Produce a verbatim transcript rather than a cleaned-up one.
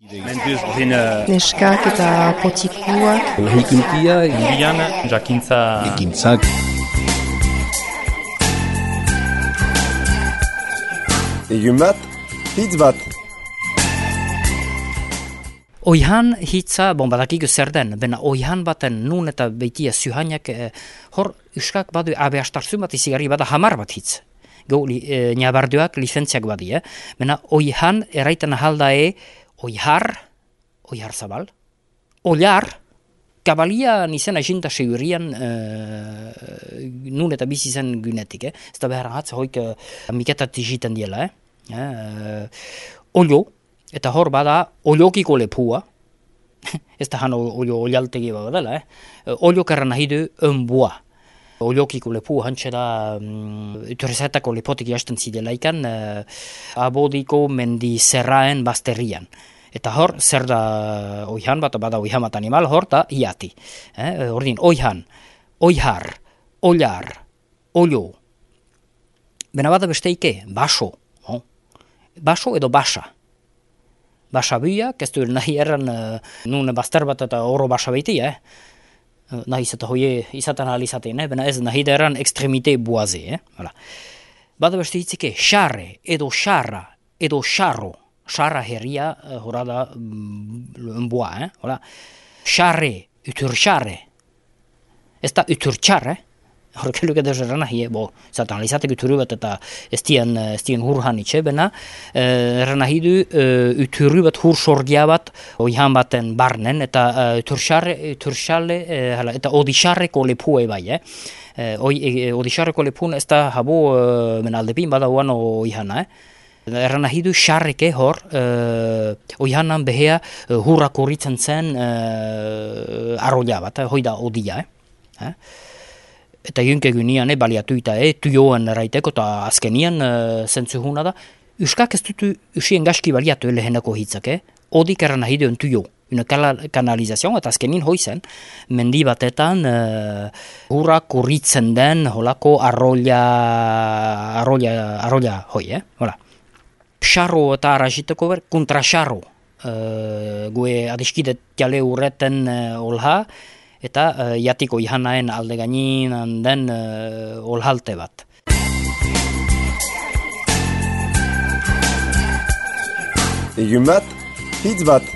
Neskak eta potikuak. Lahikuntia, Indian, jakintza... ekintzak. Egun bat, hitz bat. Oihan hitza, bon badakik zer den, bena oihan baten nun eta beitia zuhainak, eh, hor euskak badu abe astartzun bat izigarri bada hamar bat hitz. Go li, eh, nabarduak lizentziak badi, eh? Bena oihan erraiten ahaldae oihar, oihar zabal, oilar, kabalia nizena esinta segurian uh, nun eta bizi zen günetik, eh? Ez da behar hatz, hoik uh, miketat iziten diela, eh? Uh, olio, eta hor bada oliokiko lepua, ez da han olio olialtegi badala, eh? Olio karra nahi du önboa. Oliokiko lepu hantxe da um, utorrezetako lepotik jasten zidelaikan uh, abodiko mendi zerraen bazterrian. Eta hor, zer da oihan bat, bada oihan bat animal, hor da iati. Eh? Ordin, oihan, oihar, oilar, olio. Bena bada besteike, baso. Oh? Baso edo basa. Basa biak, ez du nahi erran uh, nun bazter bat eta oro basa beti, eh? Nahi izate hoie izaten ahal izaten, eh? Bena ez nahi da erran ekstremite buaze. Eh? Hala. Bada beste hitzike, xarre, edo xarra, edo xarro. Xarra herria, uh, hora da, um, boa, eh? Hala. Xarre, uturxarre. Ez da uturxarre, eh? Horke luke da erran nahi, bo, zaten ahal izatek uturu bat eta ez dien, ez dien hurhan itxe, bena, uh, erran nahi du uh, uturu bat hur sorgia bat oihan baten barnen, eta uh, uturxarre, uturxarre, uh, eta odixarreko lepue bai, eh? Uh, oi, e, odixarreko lepun ez da habo uh, menaldepin bada oan oihana, eh? Erran nahi du xarreke hor, uh, oihanan behea uh, hurra korritzen zen uh, arroia bat, eh? Hoi da odia, eh? eh? Eta jünke gynian eh, baliatuita, eh, tuioan eraiteko, eta azkenian uh, zentzuhuna da. Euskak ez dutu usien gaski baliatu lehenako hitzak, eh? Odik erran nahi duen tuio. Una kanalizazion, eta azkenin hoizen, mendi batetan uh, hurra korritzen den holako arroia, arroia, arroia hoi, eh? Hola. Xarro eta arraziteko ber, kontraxarro. Uh, gue adiskide tiale urreten uh, olha, eta uh, jatiko ihanaen alde gaininan den uh, olhalte bat. Egun bat, hitz bat.